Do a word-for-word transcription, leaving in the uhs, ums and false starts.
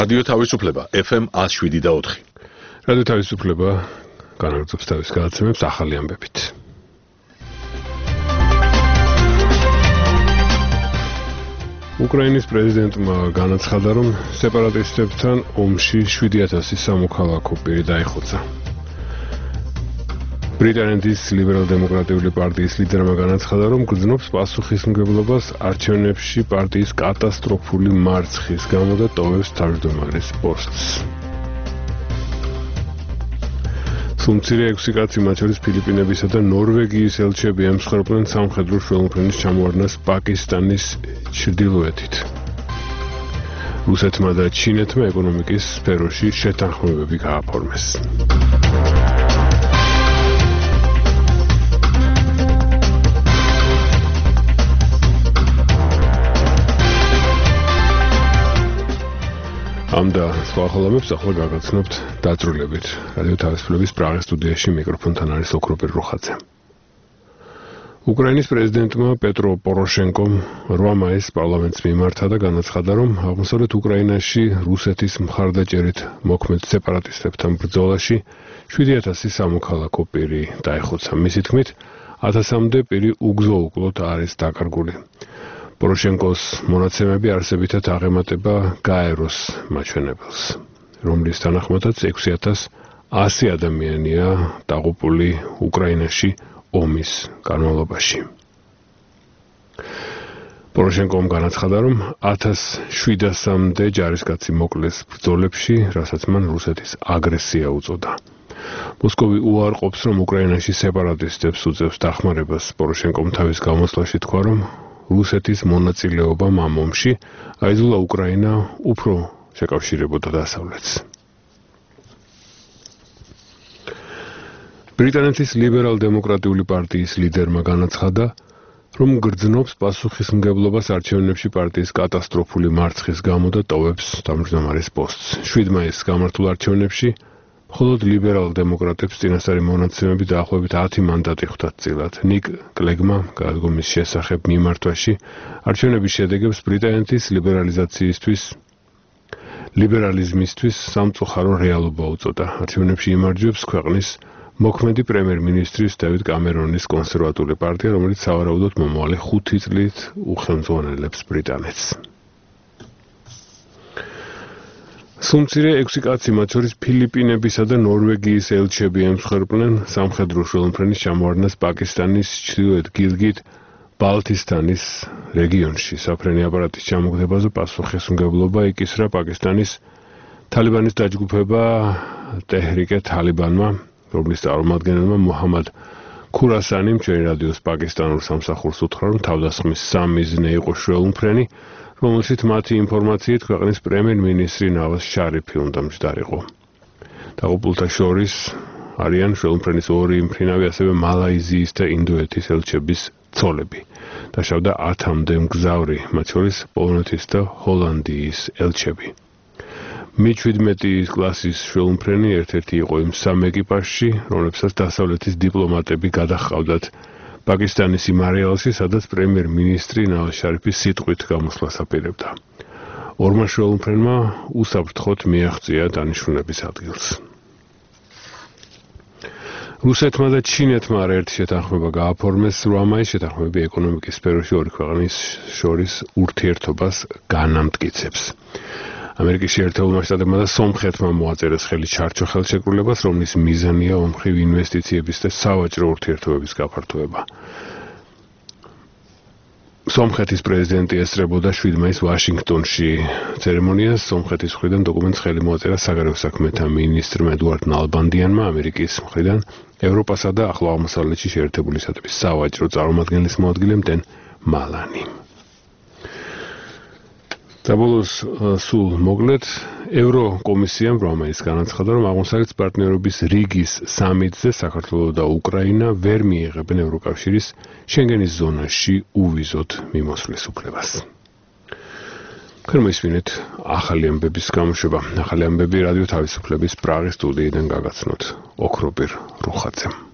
რადიო თავისუფლება F M one oh seven და four. რადიო თავისუფლება განაგრძობს თავის გადაცემებს ახალი ამბებით. უკრაინის პრეზიდენტმა განაცხადა, რომ სეპარატისტებთან ომში seven thousand სამოქალაქო პირი დაიხოცა. ბრიტანეთის ლიბერალ-დემოკრატიული პარტიის ლიდერმა განაცხადა, რომ გრძნობს პასუხისმგებლობას არჩევნებში პარტიის კატასტროფული მარცხის გამო და ტოვებს თავმჯდომარის პოსტს. სუმცირე ექვსი კაცი, მათ შორის ფილიპინებისა და ნორვეგიის ელჩები ემსხვერპლენ სამხედრო შველმფრენის ჩამოვარდნას პაკისტანის ჩრდილოეთით. რუსეთმა და ჩინეთმა ეკონომიკის სფეროში შეთანხმებები გააფორმეს. ამ და სხვა ხოლმეებს ახლა გაგაცნობთ დაწვრილებით. რადიო თავისუფლების პრაღის სტუდიაში მიკროფონთან არის ოქროპირ როხაძე. უკრაინის პრეზიდენტმა პეტრო პოროშენკომ რვა მაისს პარლამენტს მიმართა და განაცხადა, რომ აღმოსავლეთ უკრაინაში რუსეთის მხარდაჭერით მოქმედ სეპარატისტებთან ბრძოლაში seven thousand სამოქალაქო პირი დაიხოცა. მისი თქმით, one thousand-მდე პირი უგზო-უკლოდ არის დაკარგული. პოროშენკოს მონაცემები არსებითად აღემატება გაეროს მაჩვენებელს, რომლის თანახმადაც six thousand one hundred ადამიანია დაღუპული უკრაინაში ომის განმავლობაში. პოროშენკომ განაცხადა, რომ seven thousand-მდე ჯარისკაცი მოკლეს ბრძოლებში, რასაც მან რუსეთის აგრესია უწოდა. მოსკოვი უარყოფს, რომ უკრაინაში სეპარატისტებს უწევს დახმარებას. პოროშენკომ თავის გამოსვლაში თქვა, რომ რუსეთის მონაწილეობამ ამ ომში აიძულა უკრაინა უფრო შეკავშირებოდა დასავლეთს. ბრიტანეთის ლიბერალ-დემოკრატიული პარტიის ლიდერმა განაცხადა, რომ გრძნობს პასუხისმგებლობას არჩევნებში პარტიის კატასტროფული მარცხის გამო და ტოვებს თავმჯდომარის პოსტს. seven მაისს გამართულ არჩევნებში მხოლოდ ლიბერალ-დემოკრატებს წინასწარი მონაცემები დაახლოებით ten მანდატი ხვდათ წილად. ნიკ კლეგმა გადადგომის შესახებ მიმართვაში არჩევნების შედეგებს ბრიტანეთის ლიბერალიზაციისთვის ლიბერალიზმისთვის სამწუხარო რეალობა უწოდა. არჩევნებში იმარჯვებს ქვეყნის მოქმედი პრემიერ-მინისტრის დევიდ კამერონის კონსერვატული პარტია, რომელიც სავარაუდოდ მომავალი ხუთი წლით უხელმძღვანელებს ბრიტანეთს. სუმცირე ექვსი კაცი, მათ შორის ფილიპინებისა და ნორვეგიის ელჩები ემსხვერპლენ სამხედრო შველმფრენის ჩამოვარდნას პაკისტანის ჩრდილოეთ გილგიტ ბალტისტანის რეგიონში. საფრენი აპარატის ჩამოგდებაზე პასუხისმგებლობა იკისრა პაკისტანის თალიბანის დაჯგუფება ტეჰრიკე თალიბანმა, რომლის წარმომადგენელმა მუჰამად ქურასანიმ ჩვენი რადიოს პაკისტანურ სამსახურს უთხრა, რომ თავდასხმის სამიზნე იყო შველმფრენი, რომელშიც მათი ინფორმაციით ქვეყნის პრემიერ-მინისტრი ნავაზ შარიფი უნდა მჯდარიყო. დაღუპულთა შორის არიან შველმფრენის ორი მფრინავი, ასევე მალაიზიის და ინდოეთის ელჩების ცოლები. დაშავდა ათამდე მგზავრი, მათ შორის პოლონეთის და ჰოლანდიის ელჩები. მი შვიდმეტი კლასის შველმფრენი ერთ-ერთი იყო იმ სამ ეკიპაჟში, რომლებსაც დასავლეთის დიპლომატები გადაჰყავდათ პაკისტანის იმ არეალში, სადაც პრემიერ-მინისტრი ნავაზ შარიფი სიტყვით გამოსვლას აპირებდა. ორმა შველმფრენმა უსაფრთხოდ მიაღწია დანიშნულების ადგილს. რუსეთმა და ჩინეთმა არაერთი შეთანხმება გააფორმეს რვა მაისს. შეთანხმებები ეკონომიკის სფეროში ორი ქვეყნის შორის ურთიერთობას განამტკიცებს. ამერიკის შეერთებულმა შტატებმა და სომხეთმა მოაწერეს ხელი ჩარჩო ხელშეკრულებას, რომლის მიზანია ომხრივ ინვესტიციების და სავაჭრო ურთიერთობების გაფართოება. სომხეთის პრეზიდენტი ესწრებოდა seven მაისს ვაშინგტონში ცერემონიას. სომხეთის მხრიდან დოკუმენტს ხელი მოაწერა საგარეო საქმეთა მინისტრმა ედუარდ ნალბანდიანმა, ამერიკის მხრიდან ევროპასა და ახლო აღმოსავლეთში შეერთებული შტატების სავაჭრო წარმომადგენლის მოადგილემ დენ მალანიმ. საბოლოოს სულ მოკლედ ევროკომისიამ რვა მაისს განაცხადა, რომ აღმოსავლეთის პარტნიორობის რიგის სამიტზე საქართველო და უკრაინა ვერ მიიღებენ ევროკავშირის შენგენის ზონაში უვიზოდ მიმოსვლის უფლებას. ქრმისვინეთ ახალი ამბების გამოშვება. ახალი ამბები რადიო თავისუფლების პრაღის სტუდიიდან გაგაცნოთ ოქროპირ როხაძემ.